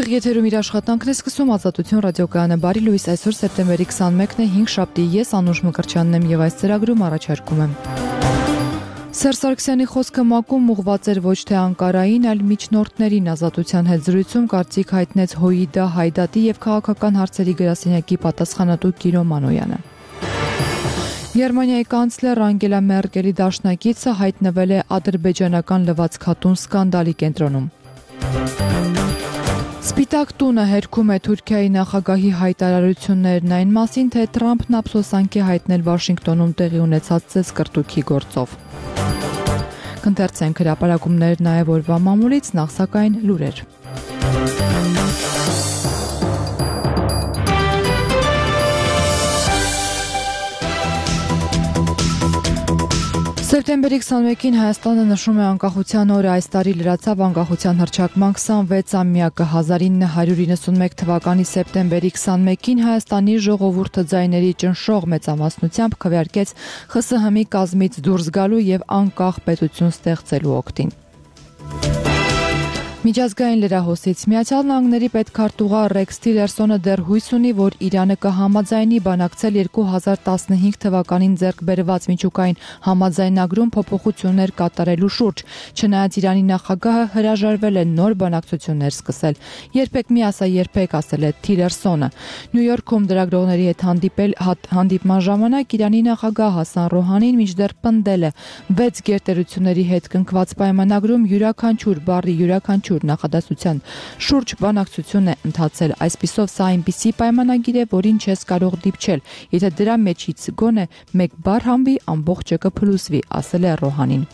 Եթերում իր աշխատանքն է սկսում Ազատություն ռադիոկայանը։ Բարի լույս, այսօր սեպտեմբերի 21-ն է, 5 շաբթի, ես Անուշ Մկրտչյանն եմ եւ այս ծրագրում առաջարկում եմ։ Սերժ Սարգսյանի խոսքը ՄԱԿ-ում ուղղված էր ոչ թե Անկարային, այլ միջնորդներին Ազատության հետ զրույցում կարծիք հայտնեց ՀՅԴ, Հայդատի եւ քաղաքական հարցերի գրասենյակի պատասխանատու Կիրո Մանոյանը։ Գերմանիայի կանցլեր Անգելա Մերկելի դաշնակիցը հայտնվել է ադրբեջանական լվացքատուն սկանդալի կենտրոնում։ Սպիտակ տունը հերքում է Թուրքիայի նախագահի հայտարարություններն այն մասին, թե Թրամփն ափսոսանք է հայտնել Վաշինգտոնում տեղի ունեցած ծեսկրտուքի գործով։ Կընթերցենք հրապարակումներ նաև օրվա մամուլից, նախ սակայն լուրեր։ Սեպտեմբերի 21-ին Հայաստանը նշում է անկախության օրը, այս տարի լրացավ անկախության հռչակման 26-ամյակը։ 1991 թվականի սեպտեմբերի 21-ին Հայաստանի ժողովուրդը ձայների ճնշող մեծամասնությամբ քվեարկեց ԽՍՀՄ-ի կազմից դուրս գալու եւ անկախ պետություն ստեղծելու օգտին։ Միջազգային լրահոսից Միացյալ Նահանգների պետքարտուղար Ռեքս Թիլերսոնը դեռ հույս ունի, որ Իրանը կհամաձայնի բանակցել 2015 թվականին ձեռք բերված միջուկային համաձայնագրում փոփոխություններ կատարելու շուրջ, չնայած Իրանի նախագահը հրաժարվել է նոր բանակցություններ սկսել։ Երբեք մի ասա երբեք, ասել է Թիլերսոնը։ Նյու Յորքում լրագրողների հետ հանդիպման ժամանակ Իրանի նախագահ Հասան Ռոհանին մինչդեռ պնդել է 6 գերտերությունների հետ կնքված պայմանագրում յուրաքանչյուր բառի յուրաքանչյուր նախադասության շուրջ բանակցություն է ընթացել, այսպիսով սա այնպիսի պայմանագիր է, որին չես կարող դիպչել, եթե դրա մեջից գոնե մեկ բառ հանվի, ամբողջը կփլուզվի, ասել է Ռոհանին։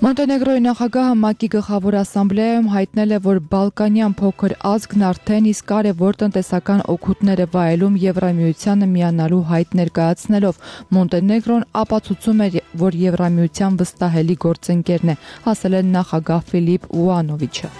Մոնտենեգրոյի նախագահը ՄԱԿ-ի գլխավոր ասամբլեայում հայտնել է, որ բալկանյան փոքր ազգն արդեն իսկ կարևոր տնտեսական օգուտներ է վայելում Եվրամիությանը միանալու հայտ ներկայացնելով։ Մոնտենեգրոն ապացուցում է, որ Եվրամիության վստահելի գործընկերն է, ասել է նախագահ Ֆիլիպ Ուանովիչը։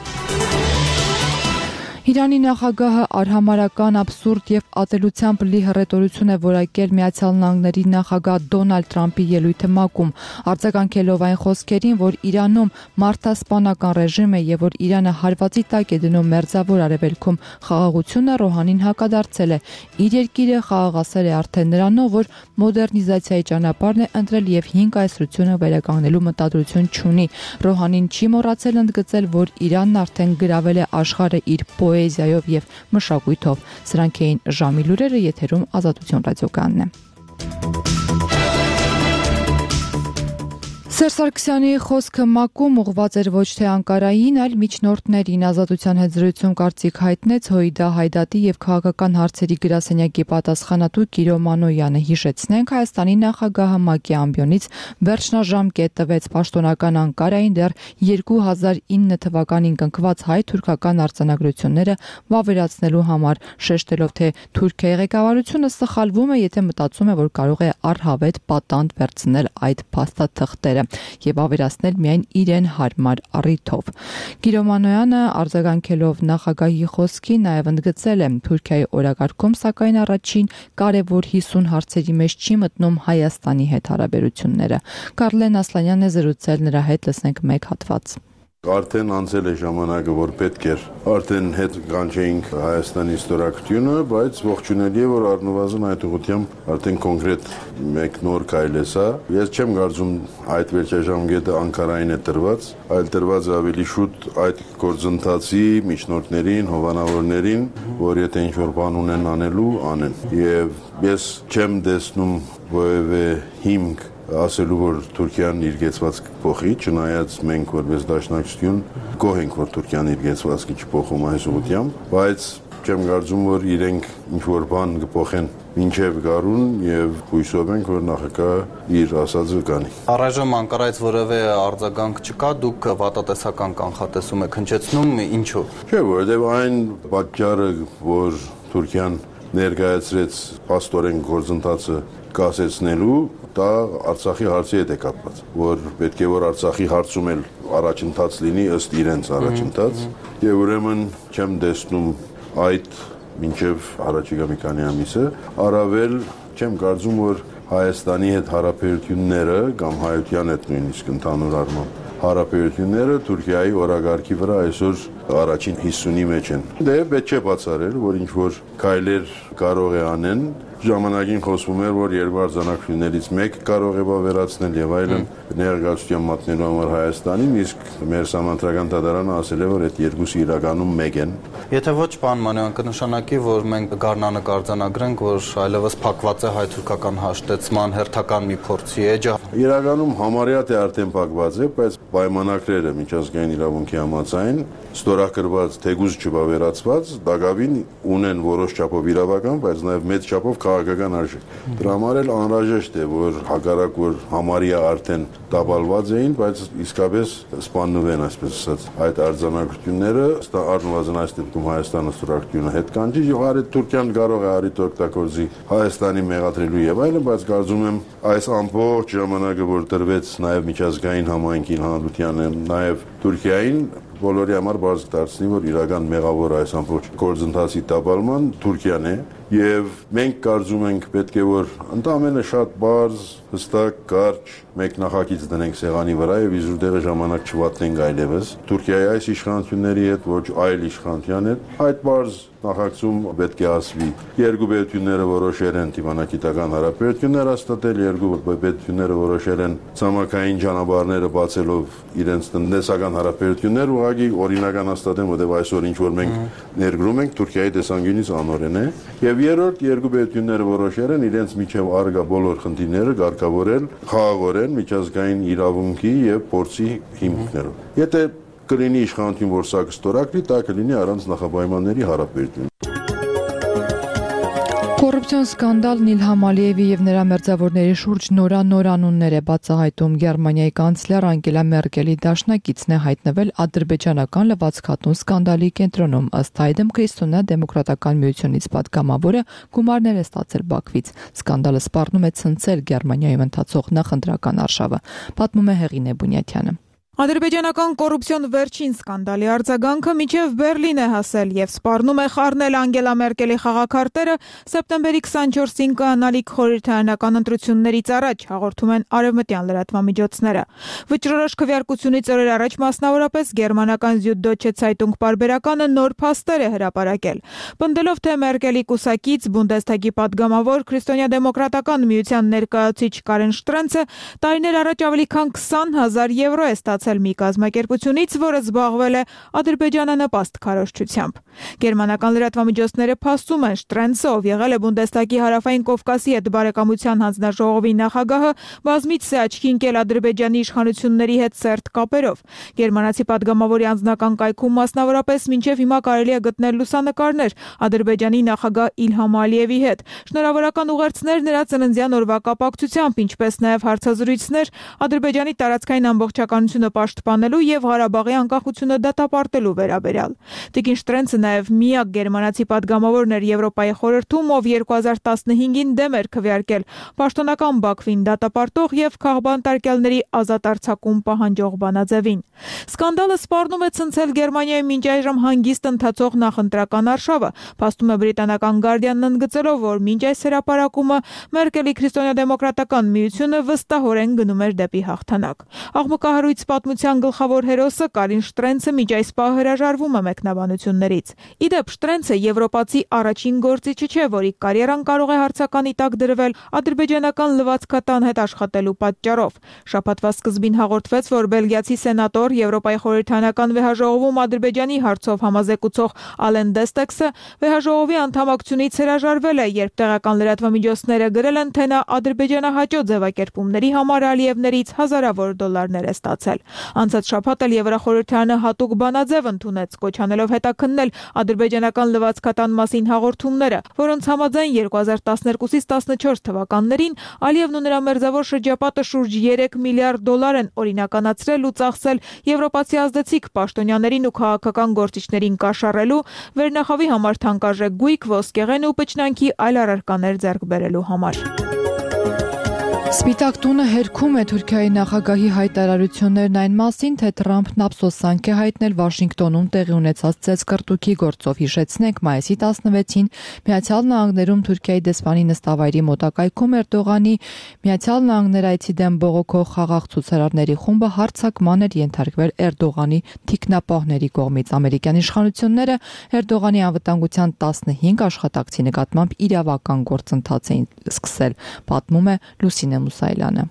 Իրանի նախագահը արհամարհական, աբսուրդ եւ ատելությամբ լի հռետորություն է որակել Միացյալ Նահանգների նախագահ Դոնալդ Թրամփի ելույթը ՄԱԿ-ում, արձագանքելով այն խոսքերին, որ Իրանում մարդասպանական ռեժիմ է եւ որ Իրանը հարվածի տակ է դնում Մերձավոր Արևելքում խաղաղությունը, Ռոհանին հակադարձել է։ Իր երկիրը խաղաղասեր է արդեն նրանով, որ մոդեռնիզացիայի ճանապարհն է ընտրել եւ 5 կայսրությունը վերականգնելու մտադրություն չունի։ Ռոհանին չի մոռացել ընդգծել, որ Իրանն արդեն գրավել է աշխարհը իր պոեզիայով եւ մշակույթով։ Սրանք էին ժամի լուրերը, եթերում Ազատություն ռադիոկայանն է։ Սերժ Սարգսյանի խոսքը ՄԱԿ-ում ուղղված էր ոչ թե Անկարային, այլ միջնորդներին Ազատության հետ զրույցում կարծիք հայտնեց ՀՅԴ, Հայդատի եւ քաղաքական հարցերի գրասենյակի պատասխանատու Կիրո Մանոյանը։ Հիշեցնենք, Հայաստանի նախագահը ՄԱԿ-ի ամբիոնից վերջնաժամկետ տվեց պաշտոնական Անկարային դեռ 2009 թվականին կնքված հայ-թուրքական արձանագրությունները վավերացնելու համար, շեշտելով, թե Թուրքիայի ղեկավարությունը սխալվում է, եթե մտածում է, որ կարող է առհավետ պատանդ վերցնել այդ փաստաթղթերը եւ ավերացնել միայն իրեն հարմար առիթով։ Կիրո Մանոյանը արձագանքելով նախագահի խոսքին նաեւ ընդգծել է Թուրքիայի օրակարգում, սակայն առաջին կարևոր 50 հարցերի մեջ չի մտնում Հայաստանի հետ հարաբերությունները։ Կարլեն Ասլանյանն է զրուցել նրա հետ, լսենք մեկ հատված։ Արդեն անցել է ժամանակը, որ պետք էր արդեն հետ կանչեինք Հայաստանի ստորագրությունը, բայց ողջունելի է, որ առնվազն այդ ուղղությամբ արդեն կոնկրետ մեկ նոր քայլ է սա։ Ես չեմ կարծում այդ վերջաժամկետը Անկարային է տրված, այլ տրված ավելի շուտ այդ գործընթացի միջնորդներին, հովանավորներին, որ եթե ինչ-որ բան ունեն անելու, անեն։ Եվ ես չեմ տեսնում որևէ հիմք ասելու, որ Թուրքիան իր գեցվածքը փոխի, չնայած մենք որպես դաշնակցություն գոհ ենք, որ Թուրքիան իր գեցվածքը չփոխում այս ուղղությամբ, բայց չեմ կարծում, որ իրենք ինչ-որ բան կփոխեն մինչև գարուն եւ հույսով ենք, որ նախագահը իր ասածը կանի։ Առայժմ Անկարայից որևէ արձագանք չկա, դուք վատատեսական կանխատեսում եք հնչեցնում, ինչու՞։ Չէ, որովհետեւ այն պատճառը, որ Թուրքիան ներկայացրեց փաստորեն գործընթացը կասեցնելու, դա Արցախի հարցի հետ է կապված, որ պետք է որ Արցախի հարցում էլ առաջընթաց լինի ըստ իրենց առաջընթաց, եւ ուրեմն չեմ տեսնում այդ մինչև առաջիկա մի քանի ամիսը, առավել չեմ կարծում, որ Հայաստանի հետ հարաբերությունները կամ հայության հետ նույնիսկ ընդհանուր առմամբ հարաբերությունները Թուրքիայի օրագարկի վրա այսօր առաջին 50-ի մեջ են։ Դե պետք չէ բացառել, որ ինչ որ քայլեր կարող է անեն, ժամանակին խոսվում էր, որ երկու արձանագրություններից մեկը կարող է վերացնել եւ այլն ներգաղթության մատնելու համար Հայաստանին, իսկ մեր համանդրական դատարանը ասել է, որ այդ երկուսը իրականում մեկ են։ Եթե ոչ, պարոն Մանոյան, կնշանակի, որ մենք գարնանը կարձանագրենք, որ այլևս փակված է հայ-թուրքական հաշտեցման հերթական մի փորձի էջը։ Իրականում համարյա թե արդեն փակված է, բայց պայմանագրերը միջազգային իրավունքի համաձայն ստորագրված թեկուզ չվավերացված դակավին ունեն որոշ չափով իրավական, բայց նաև մեծ չափով քաղաքական արժեք։ Դրա համար էլ անհրաժեշտ է, որ հակառակ որ համարյա արդեն տապալված էին, բայց իսկապես սպաննվեն, այսպես ասած, այդ արձանագրությունները առնվազն այս դեպքում Հայաստանը ստորագրությունը հետ կանչի, եւ արդ Թուրքիան կարող է արիտ օգտագործի Հայաստանի մեղադրելու եւ այլն, բայց կարծում եմ այս ամբողջ ժամանակը, որ տրվեց նաև միջազգային համայնքին, հանրությանը, նաև Թուրքիային բոլորի համար բարձ դարձնի, որ իրական մեղավոր այս ամբողջ գործընթացի տապալման Թուրքիան է եւ մենք կարծում ենք պետք է որ ընդամենը շատ բարձ, հստակ, կարճ մեկ նախագիծ դնենք սեղանի վրա եւ իզուր ժամանակ չվատնենք այլևս Թուրքիայի այս իշխանությունների հետ, ոչ այլ իշխանության հետ, այդ բարձ նախագծում պետք է ասվի երկու պետությունները որոշել են դիվանագիտական հարաբերություններ հաստատել, երկու պետությունները որոշել են ցամաքային ճանապարհները բացելով իրենց տնտեսական հարաբերություններ ուղղակի օրինական հաստատեն, որտեղ այսօր ինչ որ մենք ներգրում ենք Թուրքիայի տեսանկյունից անօրեն է եւ երրորդ երկու պետությունները որոշել են իրենց միջև առկա բոլոր խնդիրները կարգավորել խաղաղորեն միջազգային իրավունքի եւ փորձի հիմքերով։ Եթե կլինի իշխանություն, որ սա կստորագրի, դա կլինի առանց նախապայմանների հարաբերություն։ Կոռուպցիոն սկանդալն Իլհամ Ալիևի եւ նրա մերձավորների շուրջ նոր անուններ է բացահայտում։ Գերմանիայի կանցլեր Անգելա Մերկելի դաշնակիցն է հայտնվել ադրբեջանական լվացքատուն սկանդալի կենտրոնում։ Ըստ այդմ Քրիստոնյա-դեմոկրատական միությունից պատգամավորը գումարներ է ստացել Բաքվից։ Սկանդալը սպառնում է ցնցել Գերմանիայում ընթացող նախընտրական արշավը, պատմում է Հեղինե Բունյաթյանը։ Ադրբեջանական կոռուպցիոն վերջին սկանդալի արձագանքը մինչև Բերլին է հասել եւ սպառնում է խառնել Անգելա Մերկելի խաղաքարտերը սեպտեմբերի 24-ին կայանալիք խորհրդարանական ընտրություններից առաջ, հաղորդում են արևմտյան լրատվամիջոցները։ Վճռորոշ քվեարկությունից օրեր առաջ մասնավորապես գերմանական Süddeutsche Zeitung պարբերականը նոր փաստեր է հրապարակել։ Պնդելով թե Մերկելի կուսակից Բունդեսթագի պատգամավոր Քրիստոնյա-դեմոկրատական միության ներկայացուցիչ Կարեն Շտրենցը տարիներ առաջ ավելի քան 20,000 եվրո է ստացել մի կազմակերպությունից, որը զբաղվել է ադրբեջանանպաստ քարոզչությամբ։ Գերմանական լրատվամիջոցները փաստում են Շտրենցը, ով եղել է Բունդեսթագի հարավային Կովկասի հետ բարեկամության հանձնաժողովի նախագահը, բազմիցս է աչքի ընկել Ադրբեջանի իշխանությունների հետ սերտ կապերով։ Գերմանացի պատգամավորի անձնական կայքում մասնավորապես մինչև հիմա կարելի է գտնել լուսանկարներ Ադրբեջանի նախագահ Իլհամ Ալիևի հետ, շնորհավորական ուղերձներ նրա ծննդյան օրվա կապակցությամբ, ինչպես նաև հարցազրույցներ Ադրբեջանի տարածքային ամբողջականությունը պաշտպանելու եւ Ղարաբաղի անկախությունը դատապարտելու վերաբերյալ։ Տիկին Շտրենցը նաև միակ գերմանացի պատգամավորն էր Եվրոպայի խորհրդում, ով 2015-ին դեմ էր քվեարկել պաշտոնական Բաքվին դատապարտող եւ քաղբանտարկյալների ազատ արձակում պահանջող բանաձևին։ Սկանդալը սպառնում է ցնցել Գերմանիայի մինչ այժմ հանգիստ ընթացող նախընտրական արշավը, փաստում է բրիտանական Guardian-ն ընդգծելով, որ մինչ այս հրապարակումը Մերկելի քրիստոնյա-դեմոկրատական միությունը վստահորեն գնում էր դեպի հաղթանակ։ Աղմկահարույց պատմության գլխավոր հերոսը Կարին Շտրենցը մինչ այս պահ հրաժարվում է մեկնաբանություններից։ Իդեպ Շտրենցը եվրոպացի առաջին գործիչը չէ, որի կարիերան կարող է հարցականի տակ դրվել ադրբեջանական լվացքատան հետ աշխատելու պատճառով։ Շաբաթվա սկզբին հաղորդվեց, որ բելգիացի սենատոր Եվրոպայի խորհրդարանական վեհաժողովում Ադրբեջանի հարցով համազեկուցող Ալեն Դեստեքսը վեհաժողովի անդամակցությունից հրաժարվել է, երբ տեղական լրատվամիջոցները գրել են, թե նա ադրբեջանահաճո ձևակերպումների համար Ալիևներից հազարավոր դոլարներ է ստացել։ Անցած շաբաթ էլ Եվրախորհրդարանը հատուկ բանաձև ընդունեց, կոչ անելով հետաքննել ադրբեջանական լվացքատան մասին հաղորդումները, որոնց համաձայն 2012-ից 14 թվականներին Ալիևն ու նրա մերձավոր շրջապատը շուրջ 3 միլիարդ դոլար են օրինականացրել ու ծախսել եվրոպացի ազդեցիկ պաշտոնյաներին ու քաղաքական գործիչներին կաշառելու, վերնախավի համար թանկարժեք գույք, ոսկեղեն ու պճնանքի այլ առարկաներ ձեռք բերելու համար։ Սպիտակ տունը հերքում է Թուրքիայի նախագահի հայտարարություններն այն մասին, թե Թրամփն ափսոսանք է հայտնել Վաշինգտոնում տեղի ունեցած ծեծկռտուքի գործով։ Հիշեցնենք, մայիսի 16-ին Միացյալ Նահանգներում Թուրքիայի դեսպանի նստավայրի մոտակայքում Էրդողանի Միացյալ Նահանգներ այցի դեմ բողոքող խաղաղ ցուցարարների խումբը հարձակման էր ենթարկվել Էրդողանի թիկնապահների կողմից։ Ամերիկյան իշխանությունները Էրդողանի անվտանգության 15 աշխատակցի նկատմամբ իրավական գործընթաց էին սկսել, պատմում է Լուսինե Մուսայելյանը։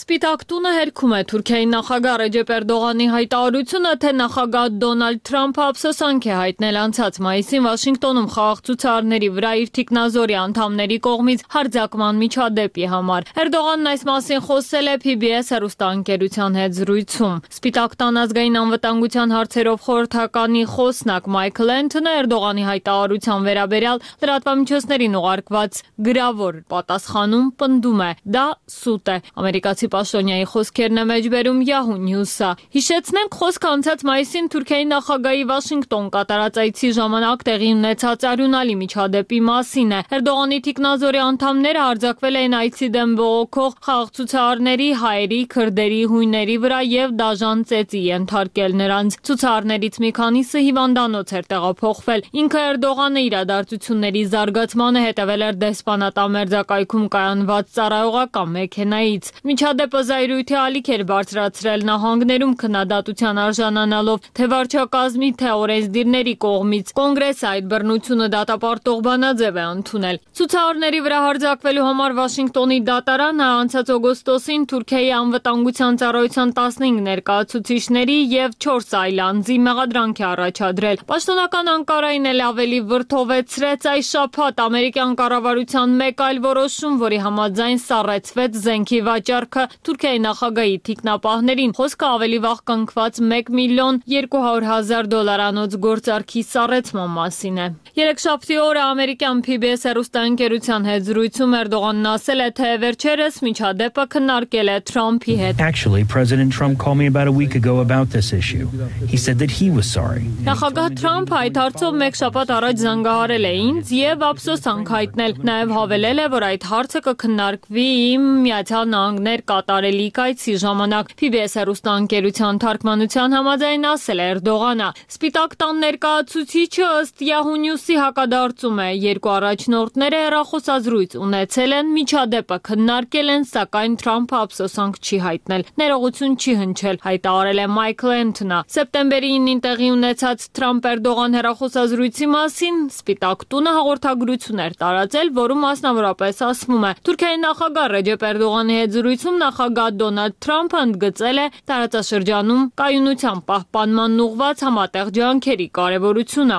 Սպիտակ տունը հերքում է Թուրքիայի նախագահ Ռեջեփ Էրդողանի հայտարարությունը, թե նախագահ Դոնալդ Թրամփը ափսոսանք է հայտնել անցած մայիսին Վաշինգտոնում խաղաղ ցուցարարների վրա իր թիկնազորի անդամների կողմից հարձակման միջադեպի համար։ Էրդողանն այս մասին խոսել է PBS հեռուստաընկերության հետ զրույցում։ Սպիտակ տան ազգային անվտանգության հարցերով խորհրդականի խոսնակ Մայքլ Էնթոնը Էրդողանի հայտարարության վերաբերյալ լրատվամիջոցներին ուղարկված գրավոր պատասխանում պնդում է. դա սուտ է։ Ամերիկացի պաշտոնյայի խոսքերն է մեջբերում Yahoo News-ը։ Հիշեցնենք, խոսքը անցած մայիսին Թուրքիայի նախագահի Վաշինգտոն կատարած այցի ժամանակ տեղի ունեցած արյունալի միջադեպի մասին է։ Էրդողանի թիկնազորի անդամները հարձակվել էին այցի դեմ բողոքող խաղաղ ցուցարարների, հայերի, քրդերի, հույների վրա եւ դաժան ծեծի ենթարկել նրանց։ Ցուցարարներից մի քանիսը հիվանդանոց էր տեղափոխվել։ Ինքը Էրդողանը իրադարձությունների զարգացմանը հետևել էր դեսպանատան մերձակայքում կայանված ծառայողական մեքենայից։ Միջադեպը զայրույթի ալիք էր բարձրացրել նահանգներում քննադատության արժանանալով թե վարչակազմի, թե օրենսդիրների կողմից։ Կոնգրեսը այդ բռնությունը դատապարտող բանաձև է ընդունել։ Ցուցարարների վրա հարձակվելու համար Վաշինգտոնի դատարանը անցած օգոստոսին Թուրքիայի անվտանգության ծառայության 15 ներկայացուցիչների եւ 4 այլ անձի մեղադրանք է առաջադրել։ Պաշտոնական Անկարային էլ ավելի վրդովեցրեց այս շաբաթ ամերիկյան կառավարության մեկ այլ որոշում, որի համաձայն սառեցվեց զենքի վաճառքը Թուրքիայի նախագահի թիկնապահներին։ Խոսքը ավելի վաղ կնքված $1,200,000 գործարքի սառեցման մասին է։ Երեքշաբթի օրը ամերիկյան PBS հեռուստաընկերության հետ զրույցում Էրդողանն ասել է, թե վերջերս միջադեպը քննարկել է Թրամփի հետ։ Actually, President Trump called me about a week ago about this issue. He said that he was sorry. Նախագահ Թրամփը այդ հարցով մեկ շաբաթ առաջ զանգահարել է ինձ եւ ափսոսանք հայտնել։ Նաեւ հավելել է, որ այդ հարցը կքննարկվի իմ Միացյալ Նահանգներ կատարելիք այցի ժամանակ։ PBS հեռուստաընկերության թարգմանության համաձայն ասել է Էրդողանը։ Սպիտակ տան ներկայացուցիչը ըստ Yahoo News-ի հակադարձում է, երկու առաջնորդները հեռախոսազրույց ունեցել են, միջադեպը քննարկել են, սակայն Թրամփը ափսոսանք չի հայտնել, ներողություն չի հնչել, հայտարարել է Մայքլ Էնթոնը։ Սեպտեմբերի 9-ին տեղի ունեցած Թրամփ-Էրդողան հեռախոսազրույցի մասին Սպիտակ տունը հաղորդագրություն էր տարածել, որում մասնավորապես ասվում է. Թուրքիայի նախագահ Ռեջեփ Էրդողանի հետ զրույցում նախագահ Դոնալդ Թրամփը ընդգծել է տարածաշրջանում կայունության պահպանման ուղղված համատեղ ջանքերի կարևորությունը։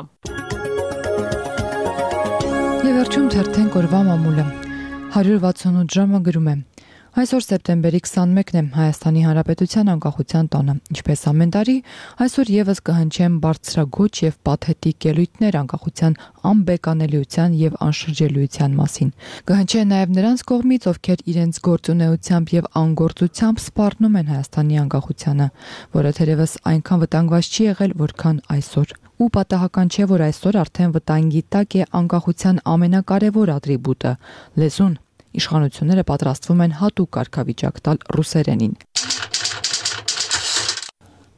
Եվ վերջում թերթենք օրվա մամուլը։ 168 ժամը գրում է. Այսօր սեպտեմբերի 21-ն է Հայաստանի Հանրապետության անկախության տոնը։ Ինչպես ամեն տարի, այսօր եւս կհնչեն բարձրագույն եւ պաթետիկ ելույթներ անկախության անբեկանելիության եւ անշրջելիության մասին։ Կհնչեն նաեւ նրանց կողմից, ովքեր իրենց գործունեությամբ եւ անգործությամբ սպառնում են Հայաստանի անկախությանը, որը թերևս այնքան վտանգված չի եղել, որքան այսօր։ Ու պատահական չէ, որ այսօր արդեն վտանգի տակ է անկախության ամենակարևոր ատրիբուտը՝ լեզուն։ Իշխանությունները պատրաստվում են հատուկ կարգավիճակ տալ ռուսերենին։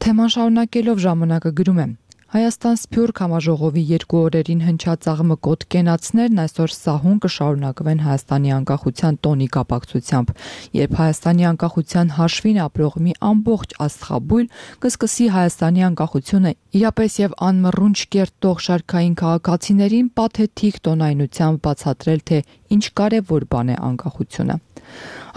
Թեման շարունակելով ժամանակը գրում է. Հայաստան Սփյուռք համաժողովի 2 օրերին հնչած աղմկոտ կենացներն այսօր սահուն կշարունակվեն Հայաստանի անկախության տոնի կապակցությամբ, երբ Հայաստանի անկախության հաշվին ապրող մի ամբողջ աստղաբույլ կսկսի Հայաստանի անկախությունը իրապես եւ անմռունչ կերտող շարքային քաղաքացիներին պաթետիկ տոնայնությամբ բացատրել, թե ինչ կարևոր բան է անկախությունը։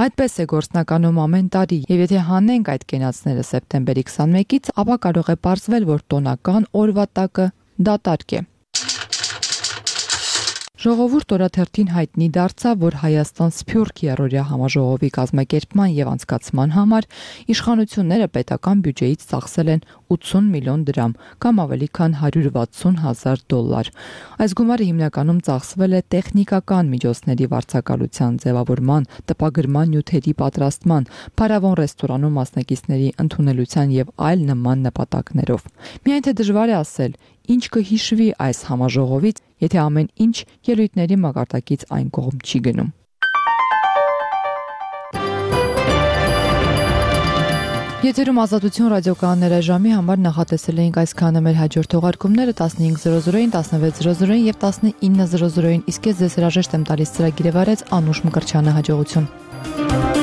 Այդպես է գործնականում ամեն տարի, եւ եթե հանենք այդ կենացները սեպտեմբերի 21-ից, ապա կարող է պարզվել, որ տոնական օրվա տակը դատարկ է։ Ժողովուրդ օրաթերթին հայտնի դարձավ, որ Հայաստան Սփյուռք երրորդյա համաժողովի կազմակերպման եւ անցկացման համար իշխանությունները պետական բյուջեից ծախսել են 80 միլիոն դրամ, կամ ավելի քան $160,000։ Այս գումարը հիմնականում ծախսվել է տեխնիկական միջոցների վարձակալության, ձևավորման, տպագրման նյութերի պատրաստման, փարավոն ռեստորանում մասնակիցների ընդունելության եւ այլ նման նպատակներով։ Միայն թե դժվար է ասել, ինչ կհիշվի այս համաժողովից, եթե ամեն ինչ ելույթների մակարդակից այն կողմ չի գնում։ Եթերում Ազատություն ռադիոկայանները ժամի համար նախատեսել էինք այսքանը, մեր հաջորդ թողարկումները 15:00-ին, 16:00-ին եւ 19:00-ին, իսկ ես ձեզ հրաժեշտ եմ տալիս ծրագիրը վարեց Անուշ Մկրտչյանը, հաջողություն։